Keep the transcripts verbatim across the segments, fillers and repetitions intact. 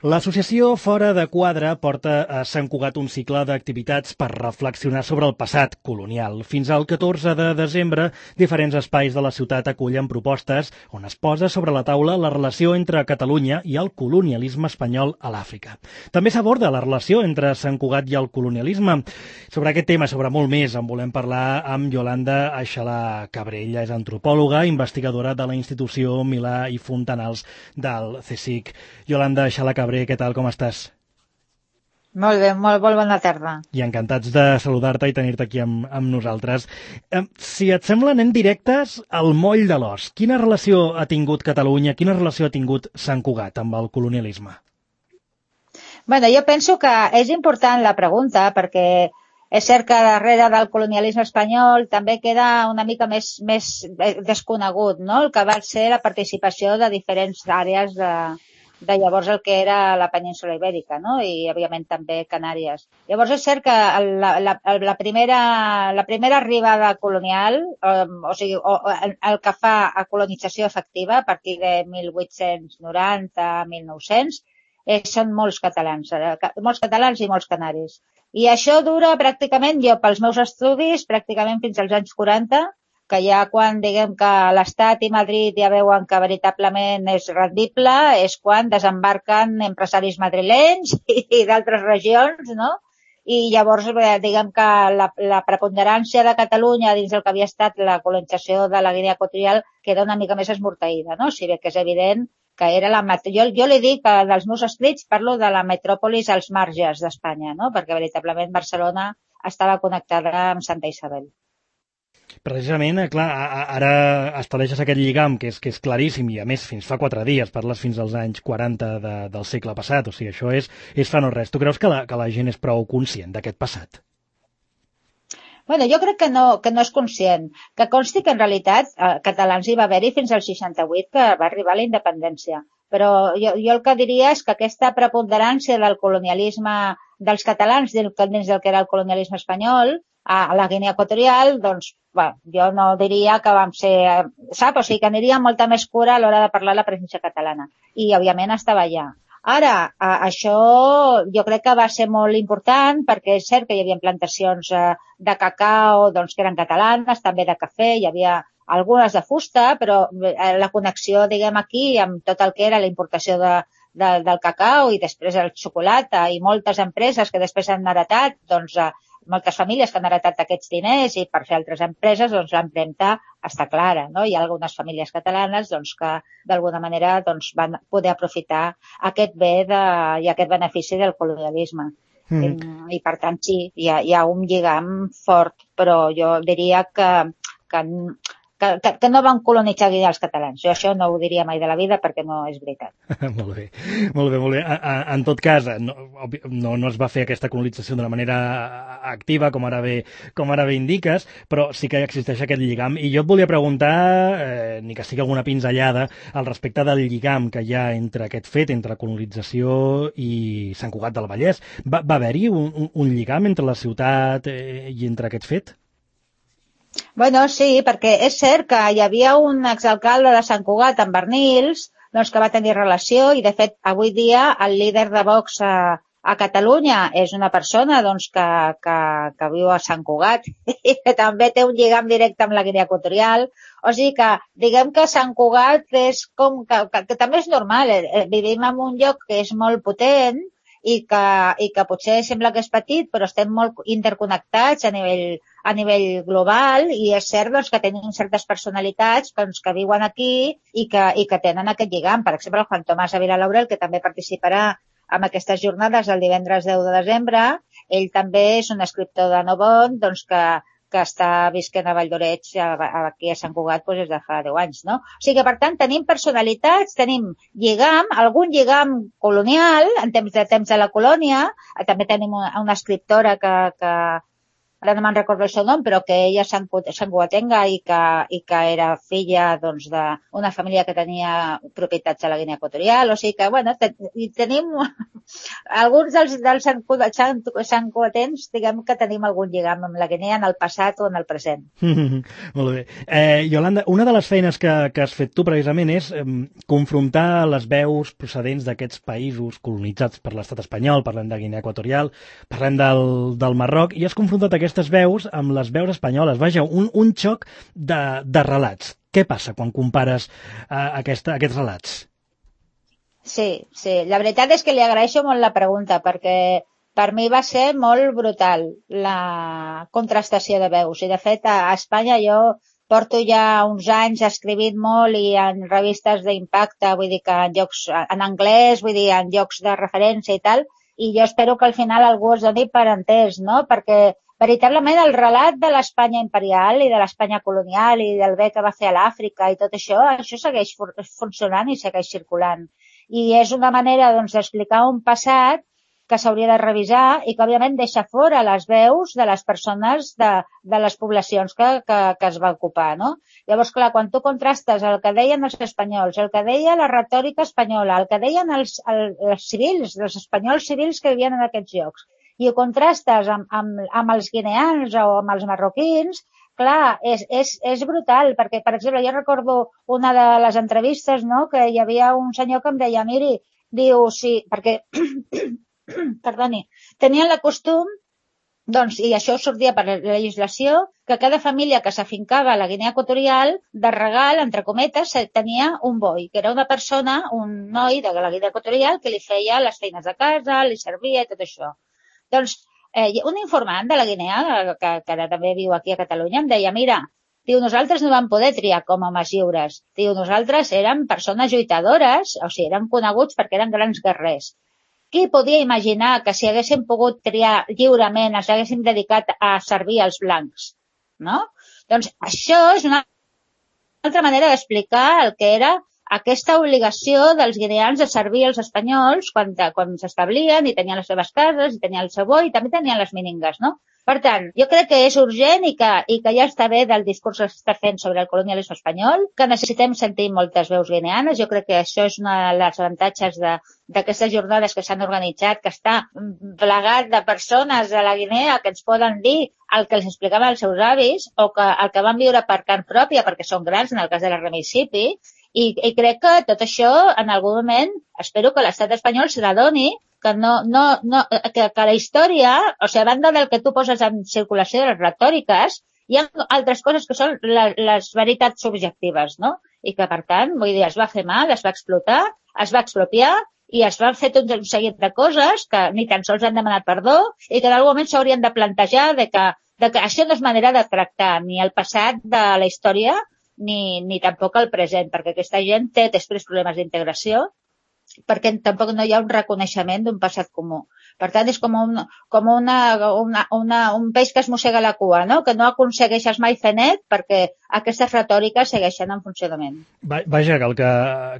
L'associació Fora de Quadre porta a Sant Cugat un cicle d'activitats per reflexionar sobre el passat colonial. Fins al catorze de desembre, diferents espais de la ciutat acullen propostes on es posa sobre la taula la relació entre Catalunya i el colonialisme espanyol a l'Àfrica. També s'aborda la relació entre Sant Cugat i el colonialisme. Sobre aquest tema, sobre molt més, en volem parlar amb Yolanda Aixalà Cabré. Ella és antropòloga, investigadora de la institució Milà i Fontanals del CSIC. Yolanda Aixalà Cabré, què tal, com estàs? Molt bé, molt, molt bona tarda. I encantats de saludar-te i tenir-te aquí amb, amb nosaltres. Eh, si et sembla, anem directes al moll de l'os. Quina relació ha tingut Catalunya, quina relació ha tingut Sant Cugat amb el colonialisme? Bueno, jo penso que és important la pregunta perquè és cert que darrere del colonialisme espanyol també queda una mica més, més desconegut, no? El que va ser la participació de diferents àrees de de llavors el que era la península Ibèrica, no? I, òbviament, també Canàries. Llavors, és cert que la, la, la, primera, la primera arribada colonial, eh, o sigui, o, el, el que fa a colonització efectiva a partir de mil vuit-cents noranta a mil nou-cents, eh, són molts catalans, eh, molts catalans i molts canaris. I això dura pràcticament, jo pels meus estudis, pràcticament fins als anys quaranta, que ja quan diguem que l'Estat i Madrid ja veuen que veritablement és rendible, és quan desembarquen empresaris madrilenys i, i d'altres regions, no? I llavors diguem que la, la preponderància de Catalunya dins del que havia estat la colonització de la Guinea Equatorial queda una mica més esmorteïda, no? Si bé que és evident que era la... Jo, jo li dic que dels meus escrits parlo de la metròpolis als marges d'Espanya, no? Perquè veritablement Barcelona estava connectada amb Santa Isabel. Precisament, clar, ara estableixes aquest lligam que és, que és claríssim i a més fins fa quatre dies, parles fins als anys quaranta de, del segle passat, o sigui, això és, és fa no res. Tu creus que la, que la gent és prou conscient d'aquest passat? Bueno, jo crec que no, que no és conscient. Que consti que en realitat eh, catalans hi va haver-hi fins al seixanta-vuit que va arribar la independència. Però jo, jo el que diria és que aquesta preponderància del colonialisme dels catalans dins del que era el colonialisme espanyol a la Guinea Equatorial, doncs, bueno, jo no diria que vam ser, sap? O sigui, que aniria molta més cura a l'hora de parlar la presència catalana. I, òbviament, estava allà. Ara, això jo crec que va ser molt important perquè és cert que hi havia plantacions de cacau, doncs, que eren catalanes, també de cafè, hi havia algunes de fusta, però la connexió, diguem, aquí amb tot el que era la importació de, de, del cacau i després el xocolata i moltes empreses que després han heretat, doncs, moltes famílies que han heretat aquests diners i per fer altres empreses, doncs l'empremta està clara, no? Hi ha algunes famílies catalanes doncs, que d'alguna manera doncs, van poder aprofitar aquest bé de, i aquest benefici del colonialisme. Mm. I per tant sí, hi ha, hi ha un lligam fort, però jo diria que, que Que, que, que no van colonitzar els catalans. Jo això no ho diria mai de la vida perquè no és veritat. Molt bé, molt bé, molt bé. A, a, en tot cas, no, no, no es va fer aquesta colonització d'una manera activa, com ara bé, com ara bé indiques, però sí que existeix aquest lligam. I jo et volia preguntar, eh, ni que sigui alguna pinzellada, al respecte del lligam que hi ha entre aquest fet, entre colonització i Sant Cugat del Vallès. Va, va haver-hi un, un, un lligam entre la ciutat eh, i entre aquest fet? Bueno, sí, perquè és cert que hi havia un exalcalde de Sant Cugat, en Bernils, doncs que va tenir relació i, de fet, avui dia el líder de Vox a, a Catalunya és una persona doncs, que, que, que viu a Sant Cugat i que també té un lligam directe amb la Guinea Equatorial. O sigui que, diguem que Sant Cugat és com que, que, que també és normal, eh, vivim en un lloc que és molt potent i que, i que potser sembla que és petit, però estem molt interconnectats a nivell, a nivell global i és cert doncs, que tenim certes personalitats doncs, que viuen aquí i que, i que tenen aquest lligam. Per exemple, el Juan Tomàs Ávila Laurel, que també participarà en aquestes jornades el divendres deu de desembre, ell també és un escriptor de No Bon, doncs que que està visquent a Valldoreix, aquí a Sant Cugat, doncs des de fa deu anys, no? O sigui que, per tant, tenim personalitats, tenim lligam, algun lligam colonial, en temps de temps de la colònia, també tenim una, una escriptora que, que, ara no me'n recordo el seu nom, però que ella és sanguatenga i que, i que era filla doncs, d'una família que tenia propietats a la Guinea Equatorial, o sigui que, bueno, ten, tenim alguns dels, dels sanguatens, diguem que tenim algun lligam amb la Guinea en el passat o en el present. Molt bé. Eh, Iolanda, una de les feines que, que has fet tu precisament és eh, confrontar les veus procedents d'aquests països colonitzats per l'estat espanyol, parlem de Guinea Equatorial, parlem del, del Marroc, i has confrontat aquestes veus amb les veus espanyoles. Vaja, un, un xoc de, de relats. Què passa quan compares eh, aquesta, aquests relats? Sí, sí. La veritat és que li agraeixo molt la pregunta, perquè per mi va ser molt brutal la contrastació de veus. I, de fet, a Espanya jo porto ja uns anys escrivint molt i en revistes d'impacte, vull dir que en llocs en anglès, vull dir, en llocs de referència i tal, i jo espero que al final algú es doni per entès, no? Perquè veritablement el relat de l'Espanya imperial i de l'Espanya colonial i del bé que va fer a l'Àfrica i tot això, això segueix funcionant i segueix circulant. I és una manera, doncs, d'explicar un passat que s'hauria de revisar i que, òbviament, deixa fora les veus de les persones de, de les poblacions que, que, que es va ocupar, no? Llavors, clar, quan tu contrastes el que deien els espanyols, el que deia la retòrica espanyola, el que deien els, el, els civils, els espanyols civils que vivien en aquests llocs, i ho contrastes amb, amb, amb els guineans o amb els marroquins, clar, és, és, és brutal, perquè, per exemple, jo recordo una de les entrevistes, no?, que hi havia un senyor que em deia, miri, diu, sí, perquè, perdoni, tenien la costum, doncs, i això sortia per la legislació, que cada família que s'afincava a la Guinea Equatorial, de regal, entre cometes, tenia un boi, que era una persona, un noi de la Guinea Equatorial, que li feia les feines de casa, li servia i tot això. Doncs, eh, un informant de la Guinea, que, que ara també viu aquí a Catalunya, em deia, mira, diu, nosaltres no vam poder triar com a homes lliures. Diu, nosaltres érem persones lluitadores, o sigui, érem coneguts perquè eren grans guerrers. Qui podia imaginar que si haguéssim pogut triar lliurement ens haguéssim dedicat a servir als blancs, no? Doncs això és una altra manera d'explicar el que era aquesta obligació dels guineans de servir als espanyols quan, quan s'establien i tenien les seves cases, i tenien el seu boi, i també tenien les míningues, no? Per tant, jo crec que és urgent i que, i que ja està bé del discurs que s'està fent sobre el colonialisme espanyol, que necessitem sentir moltes veus guineanes. Jo crec que això és una de les avantatges d'aquestes jornades que s'han organitzat, que està plegat de persones de la Guinea que ens poden dir el que els explicaven els seus avis o que el que van viure per carn pròpia, perquè són grans, en el cas de la Remisipi, i, i crec que tot això, en algun moment, espero que l'estat espanyol se n'adoni que no, no, no, que, que la història, o sigui, a banda del que tu poses en circulació de les retòriques, hi ha altres coses que són la, les veritats subjectives, no? I que, per tant, vull dir, es va fer mal, es va explotar, es va expropiar i es van fer tot un seguit de coses que ni tan sols han demanat perdó i que en algun moment s'haurien de plantejar de que, de que això no és manera de tractar ni el passat de la història ni, ni tampoc el present, perquè aquesta gent té després problemes d'integració perquè tampoc no hi ha un reconeixement d'un passat comú. Per tant, és com, un, com una, una, una, un peix que es mossega la cua, no? Que no aconsegueixes mai fer net perquè aquestes retòriques segueixen en funcionament. Vaja, que, el que,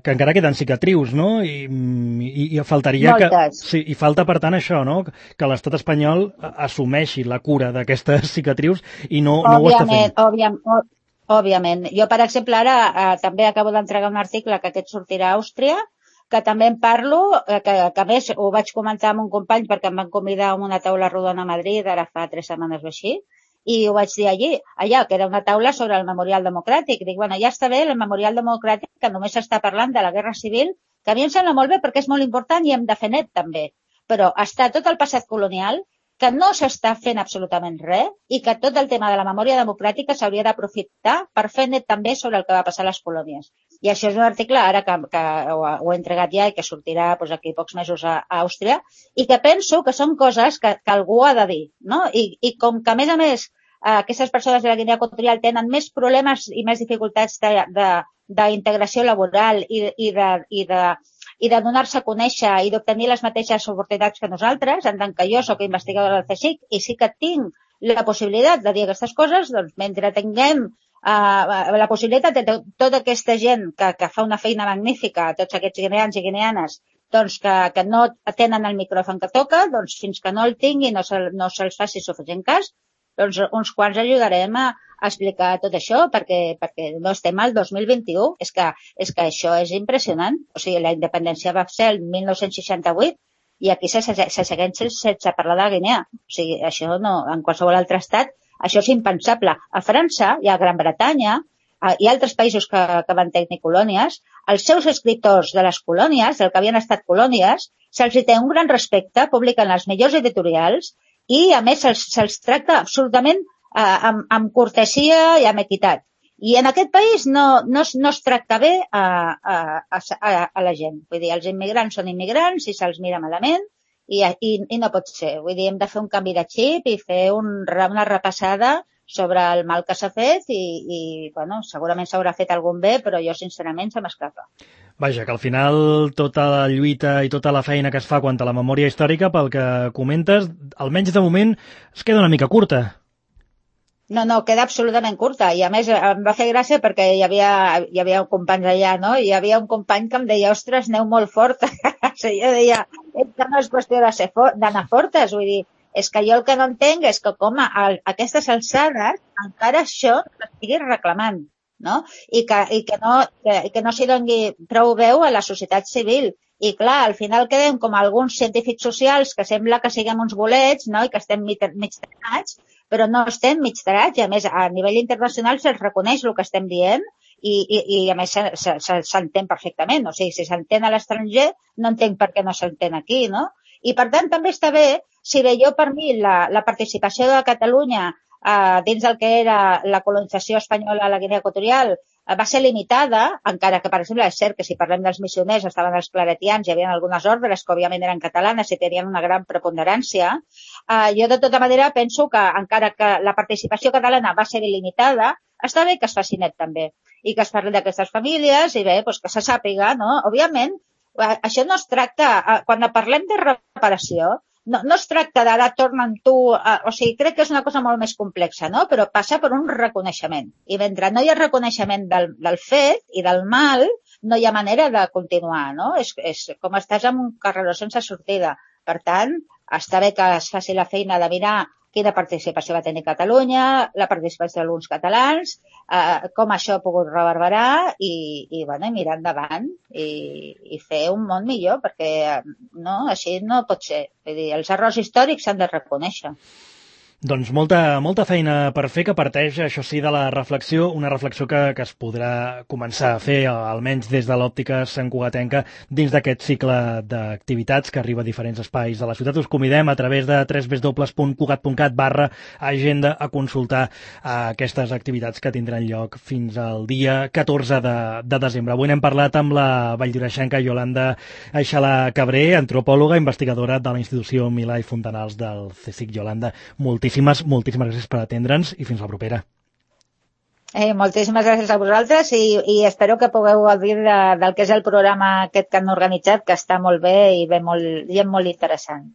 que encara queden cicatrius, no? I, i, i faltaria Moltes. que... Sí, i falta, per tant, això, no? Que l'estat espanyol assumeixi la cura d'aquestes cicatrius i no, no ho està fent. Òbviament, òbviament. Jo, per exemple, ara eh, també acabo d'entregar un article que aquest sortirà a Àustria, que també en parlo, que, que a més ho vaig comentar amb un company perquè em van convidar a una taula rodona a Madrid, ara fa tres setmanes o així, i ho vaig dir allí, allà, que era una taula sobre el memorial democràtic. Dic, bueno, ja està bé el memorial democràtic, que només s'està parlant de la guerra civil, que a mi em sembla molt bé perquè és molt important i hem de fer net també, però està tot el passat colonial, que no s'està fent absolutament res i que tot el tema de la memòria democràtica s'hauria d'aprofitar per fer net també sobre el que va passar a les colònies. I això és un article ara que, que ho, ho he entregat ja i que sortirà doncs, aquí pocs mesos a, a Àustria i que penso que són coses que, que algú ha de dir, no? I, i com que a més a més eh, aquestes persones de la Guinea Equatorial tenen més problemes i més dificultats d'integració laboral i, i de, i de i de donar-se a conèixer i d'obtenir les mateixes oportunitats que nosaltres, en tant que jo soc investigadora del CSIC i sí que tinc la possibilitat de dir aquestes coses, doncs mentre tinguem uh, la possibilitat de tota aquesta gent que, que fa una feina magnífica, tots aquests guineans i guineanes, doncs que, que no tenen el micròfon que toca, doncs fins que no el tingui no, se, no se'ls faci suficient cas, doncs uns quants ajudarem a, a explicar tot això, perquè, perquè no estem al dos mil vint-i-u. És que, és que això és impressionant. O sigui, la independència va ser el mil nou-cents seixanta-vuit i aquí se, se, se segueix sense parlar de Guinea. O sigui, això no, en qualsevol altre estat, això és impensable. A França i a Gran Bretanya i altres països que, que van tenir colònies, els seus escriptors de les colònies, del que havien estat colònies, se'ls té un gran respecte, publiquen les millors editorials i, a més, se'ls, se'ls tracta absolutament eh, amb, amb cortesia i amb equitat. I en aquest país no, no, no es tracta bé a, a, a, a la gent. Vull dir, els immigrants són immigrants i se'ls mira malament i, i, i no pot ser. Vull dir, hem de fer un canvi de xip i fer un, una repassada sobre el mal que s'ha fet i, i bueno, segurament s'haurà fet algun bé, però jo sincerament se m'escapa. Vaja, que al final tota la lluita i tota la feina que es fa quant a la memòria històrica, pel que comentes, almenys de moment es queda una mica curta. No, no, queda absolutament curta i a més em va fer gràcia perquè hi havia, hi havia un company allà, no? I hi havia un company que em deia, ostres, aneu molt fort. O sigui, jo deia, que no és qüestió d'anar fortes, vull dir, és que jo el que no entenc és que com a, a aquestes alçades encara això s'estigui reclamant, no? I que, i que no, que, que no s'hi doni prou veu a la societat civil. I clar, al final quedem com alguns científics socials que sembla que siguem uns bolets, no? I que estem mig, mig tarats, però no estem mig tarats i a més a nivell internacional se'ls reconeix el que estem dient i, i, i a més s'entén perfectament. O sigui, si s'entén a l'estranger, no entenc per què no s'entén aquí, no? I per tant també està bé, si bé jo per mi la, la participació de Catalunya eh, dins del que era la colonització espanyola a la Guinea Equatorial eh, va ser limitada, encara que, per exemple, és cert que si parlem dels missioners estaven els claretians, hi havia algunes ordres que òbviament eren catalanes i tenien una gran preponderància, eh, jo de tota manera penso que encara que la participació catalana va ser limitada, està bé que es faci net també i que es parli d'aquestes famílies i bé, doncs que se sàpiga, no? Òbviament, això no es tracta, quan parlem de reparació, no, no es tracta d'ara torna'm tu, eh, o sigui, crec que és una cosa molt més complexa, no? Però passa per un reconeixement. I mentre no hi ha reconeixement del, del fet i del mal, no hi ha manera de continuar, no? És, és com estàs en un carreró sense sortida. Per tant, està bé que es faci la feina de mirar quina participació va tenir Catalunya, la participació d'alguns catalans, eh, com això ha pogut reverberar i, i, bueno, i mirar endavant i, i fer un món millor, perquè no, així no pot ser. Vull dir, els errors històrics s'han de reconèixer. Doncs molta, molta feina per fer, que parteix, això sí, de la reflexió, una reflexió que, que es podrà començar a fer, almenys des de l'òptica santcugatenca, dins d'aquest cicle d'activitats que arriba a diferents espais de la ciutat. Us convidem a través de w w w punt cugat punt cat barra agenda a consultar aquestes activitats que tindran lloc fins al dia catorze de, de desembre. Avui n'hem parlat amb la valldoreixenca Iolanda Aixalà-Cabré, antropòloga, investigadora de la institució Milà i Fontanals del CSIC. Iolanda, moltíssimes Moltíssimes, moltíssimes gràcies per atendre'ns i fins la propera. Eh, moltíssimes gràcies a vosaltres i, i espero que pugueu gaudir de, del que és el programa aquest que han organitzat, que està molt bé i, bé molt, i és molt interessant.